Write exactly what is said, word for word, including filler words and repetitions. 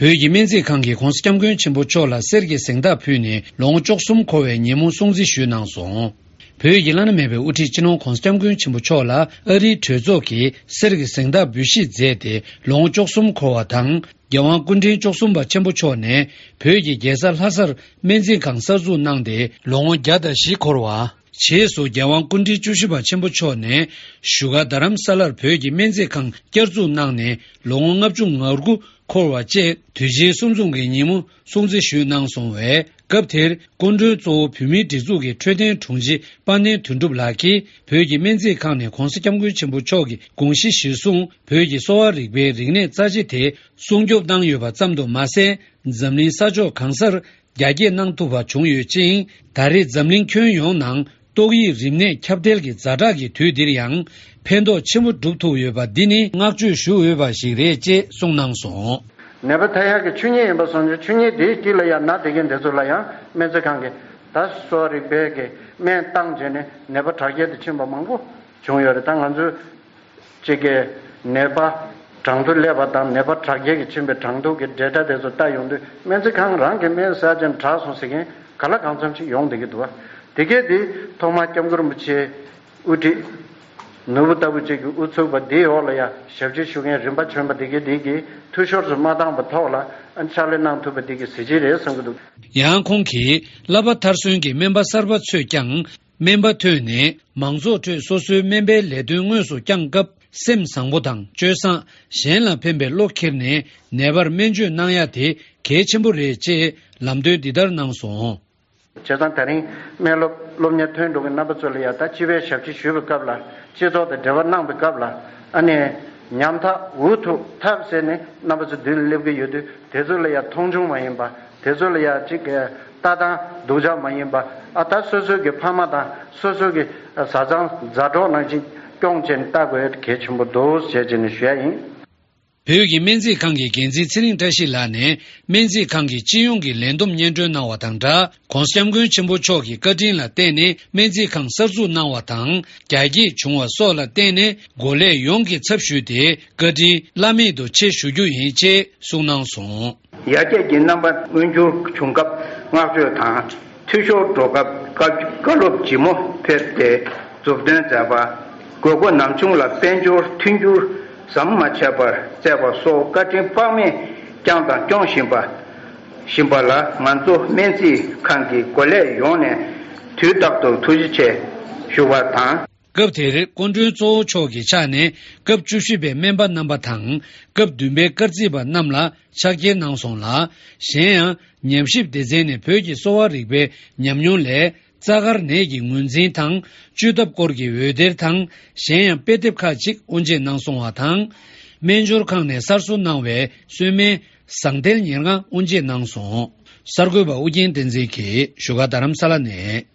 བོད་ཀྱི་སྨན་རྩིས་ཁང་གིས་༧གོང་ས་༧སྐྱབས་མགོན་ཆེན་པོ་མཆོག་ལ་གསེར་གྱི་གཟེངས་རྟགས་ཕུལ་ནས་ལོ་ངོ་བཅུ་གསུམ་འཁོར་བའི་ཉིན་མོ་སྲུང་བརྩི་ཞུས་གནང་སོང་། བོད་ཀྱི་བླ་ན་མེད་པའི་དབུ་ཁྲིད་སྤྱི་ནོར་༧གོང་ས་༧སྐྱབས་མགོན་ཆེན་པོ་མཆོག་ལ་ཨ་རིའི་གྲོས་ཚོགས་ཀྱིས་གསེར་གྱི་གཟེངས་རྟགས་འབུལ་བཞེས་མཛད་དེ་ལོ་ངོ་བཅུ་གསུམ་འཁོར་བ་དང་། རྒྱལ་དབང་སྐུ་ཕྲེང་བཅུ་གསུམ་པ་ཆེན་པོ་མཆོག་ནས་བོད་ཀྱི་རྒྱལ་ས་ལྷ་སར་སྨན་རྩིས་ཁང་གསར་འཛུགས་གནང་སྟེ་ལོ་ངོ་བརྒྱ་དང་བཞི་འཁོར་བ། རྗེས་སུ་རྒྱལ་དབང་སྐུ་ཕྲེང་བཅུ་བཞི་པ་ཆེན་པོ་མཆོག་ནས་བཞུགས་སྒར་རྡ་རམ་ས་ལར་བོད་ཀྱི་སྨན་རྩིས་ཁང་བསྐྱར་འཛུགས་གནང་ནས་ལོ་ངོ་ལྔ་བཅུ་ང་དགུ་འཁོར་བ་བཅས་དུས་ཆེན་གསུམ་འཛོམས་ཀྱི་ཉིན་མོ་སྲུང་བརྩི་ཞུས་གནང་སོང་བས། སྐབས་དེར་སྐུ་མགྲོན་གཙོ་བོ་བོད་མིའི་སྒྲིག་འཛུགས་ཀྱི་འཕྲོད་བསྟེན་དྲུང་ཆེ་དཔལ་ལྡན་དོན་གྲུབ་ལགས་ཀྱིས་བོད་ཀྱི་སྨན་རྩིས་ཁང་ནས་༧གོང་ས་༧སྐྱབས་མགོན་ཆེན་པོ་མཆོག་གི་དགོངས་གཞི་གཞིར་བཟུང་བོད་ཀྱི་གསོ་བ་རིག་པའི་རིག་གནས་རྩ་ཆེ་དེ་སྲུང་སྐྱོབ་གནང་ཡོད་པ་ཙམ་དུ་མ་ཟད། འཛམ་གླིང་ས་ཕྱོགས་གང་སར་རྒྱ་སྐྱེད་གནང་ཐུབ་པ་བྱུང་ཡོད་ཅིང་། ད་རེས་འཛམ་གླིང་ཁྱོན་ཡོངས་ནང་ཏོག་དབྱིབས་རིམས་ནད་ཁྱབ་གདལ་གྱི་ཛ་དྲག་གི་དུས་འདིར་ཡང་ཕན་ཐོགས་ཆེན་པོ་སྒྲུབ་ཐུབ་ཡོད་པ་འདི་ནི་བསྔགས་བརྗོད་ཞུ་འོས་པ་ཞིག་རེད་ཅེས་གསུངས་གནང་སོང་། ནད་པ་ཐར་ཡག་གི་ཆོས་ཉིད་ཡིན་པ་སོང་ཙང་ཆོས་ཉིད་དེའི་དཀྱིལ་ལ་ཡང་ན་བསྡད་མཁན་དེ་ཚོ་ལ་ཡང་སྨན་རྩིས་ཁང་གིས་ད་གསོ་བ་རིག་པའི་གི་སྨན་བཏང་བྱས་ནས་ནད་པ་དྲག་སྐྱེད་དུ་ཕྱིན་པ་མང་པོ་བྱུང་ཡོད་རེད། ད་ང་ཚོས་གཅིག་གི་ནད་པ་གྲངས་ཐོ་སླེབས་པ་དང་ནད་པ་དྲག་སྐྱེད་ཀྱི་ཕྱིན་པའི་གྲངས་ཐོ་གི་ཌེ་ཊ་དེ་ཚོ་ལྟ་ཡོང་དུས་སྨན་རྩིས་ཁང་རང་གི་སྨན་ཟ་ཅན་དྲག་སོང་ཟེར་མཁན་ག་ལ་གང་འཚམ་ཞིག་ཡོང་བསྡད་ཀྱི་འདུག་བ། དེ་གས་དེ་ཐོག་མར་སྐྱབས་མགོན་རིན་པོ་ཆེ་དབུ་ཁྲིད་ནོར་བུ་ལྟ་བུ་ཅིག་གི་དབུ་ཚུགས་པ་འདིའི་འོག་ལ་ཡང་ཞབས་ཕྱི་ཞུ་མཁན་རིམ་པ་བྱོན་པ་དེ་གས་དེ་གིས་འཐུས་ཤོར་དུ་མ་བཏང་པའི་ཐོག་ལ་ཕྱག་ལས་གནང་ཐུབ་པ་དེ་གི་གཟི་བརྗིད་རེད་བསམ་གྱི་འདུག་ཡང་ཁོང་གིས་བསླབ་པ་མཐར་སོན་གྱི་སྨན་པ་གསར་པ་ཚོས་ཀྱང་སྨན་པ་ཐོན་ནས་མང་ཚོགས་ཁྲོད་སོ་སོའི་སྨན་པའི་ལས་དོན་དངོས་སུ་བསྐྱངས་སྐབས་སེམས་བཟང་པོ་དང་སྤྱོད་བཟང་། གཞན་ལ་ཕན་པའི་བློ་འཁྱེར་ནས་ནད་པར་སྨན་བཅོས་གནང་ཡ་དེ་གལ་ཆེན་པོ་རེད་ཅེས་ལམ་སྟོན་འདི་ལྟར་གནང་སོང་། བྱས་ཙང་དེ་རིང་སྨན་སློབ་སློབ་གཉེར་ཐོན་འགྲོ་མཁན་རྣམ་པ་ཚོ་ལ་ཡང་ད་སྤྱི་པའི་ཞབས་ཕྱི་ཞུས་པའི་སྐབས་ལ་སྤྱི་ཚོགས་དང་འབྲེལ་བ་གནང་པའི་སྐབས་ལ་ཨ་ནི་ཉམ་ཐག་འུ་ཐུག་ཐབས་ཟད་ནས་རྣམ་པ་ཚོ་མདུན་ལ་སླེབས་ཀྱི་ཡོད་དུས་དེ་ཚོ་ལ་ཡང་མཐོང་ཆུང་མ་ཡིན་པ་དེ་ཚོ་ལ་ཡང་ཅིག་ལྟ་སྟངས་སྡུག་ཅག་མ་ཡིན་པ་ཨ་ད་སོ་སོའི་གི་ཕ་མ་དང་སོ་སོའི་གི་བཟའ་ཚང་མཛའ་གྲོགས་ནང་བཞིན་སྐྱོང་བྱས་ནས་ལྟ་དགོས་གལ་ཆེན་པོ་འདུག་ཟེར་བྱས་ནས་ཞུ་ཡ་ཡིན། བོད་ཀྱི་སྨན་རྩིས་ཁང་གི་འགན་འཛིན་ཚེ་རིང་བཀྲ་ཤིས་ལགས་ནས་སྨན་རྩིས་ཁང་གི་སྤྱི་ཡོངས་ཀྱི་ལས་བསྡོམས་སྙན་སྒྲོན་གནང་བ་དང་སྦྲགས། ༸གོང་ས་༸སྐྱབས་མགོན་ཆེན་པོ་མཆོག་གི་བཀའ་དྲིན་ལ་བརྟེན་ནས་སྨན་རྩིས་ཁང་གསར་འཛུགས་གནང་བ་དང་རྒྱ་སྐྱེད་བྱུང་བ་སོགས་ལ་བརྟེན་ནས་འགོ་ལས་ཡོངས་ཀྱི་ཚབ་ཞུས་ཏེ་བཀའ་དྲིན་བླ་མེད་དུ་ཆེ་ཞུ་རྒྱུ་ཡིན་ཅེས་གསུངས་གནང་སོང་། ཡར་རྒྱས་ཀྱི་རྣམ་པ་མངོན་འགྱུར་བྱུང་སྐབས་བསྔགས་བརྗོད་དང་། འཐུས་ཤོར་འགྲོ་སྐབས་བཀའ་བཀའ་སློབ་ལྗིད་མོ་ཕེབས་ཏེ་མཛུབ་སྟོན་མཛད་པ། དགོས་མཁོ་ནམ་བྱུང་ལ་དཔལ་འབྱོར་མཐུན་འགྱུར་ཟམ་མ་ཆད་པར་བསྩལ་བ་སོགས་བཀའ་དྲིན་དཔག་མེད་བསྐྱངས་དང་སྐྱོང་བཞིན་པ་བཞིན་པ་ལ་ང་ཚོ་སྨན་རྩིས་ཁང་གི་འགོ་ལས་ཡོངས་ནས་དུས་རྟག་ཏུ་ཐུགས་རྗེ་ཆེ་ཞུ་བ་དང་། སྐབས་དེར་སྐུ་མགྲོན་གཙོ་བོ་མཆོག་གི་ཕྱག་ནས་སྐབས་བཅུ་བཞི་པའི་སྨན་པ་རྣམ་པ་དང་སྐབས་བདུན་པའི་སྐར་རྩིས་པ་རྣམས་ལ་ཕྱག་འཁྱེར་གནང་སོང་ལ། གཞན་ཡང་ཉམས་ཞིབ་སྡེ་ཚན་ནས་བོད་ཀྱི་གསོ་བ་རིག་པའི་ཉམས་མྱོང་ལས། རྩ་དཀར་ནད་ཀྱི་ངོས་འཛིན་དང་བཅོས་ཐབས་སྐོར་གྱི་འོད་སྡེར་དང་གཞན་ཡང་དཔེ་དེབ་ཁག་ཅིག་དབུ་འབྱེད་གནང་སོང་བ་དང་། སྨན་སྦྱོར་ཁང་ནས་གསར་བཟོ་གནང་བའི་གསོལ་སྨན་ཟངས་ཐལ་ཉེར་ལྔ་དབུ་འབྱེད་གནང་སོང་། གསར་འགོད་པ་ཨུ་རྒྱན་བསྟན་འཛིན་གྱིས་བཞུགས་སྒར་རྡ་རམ་ས་ལ་ནས།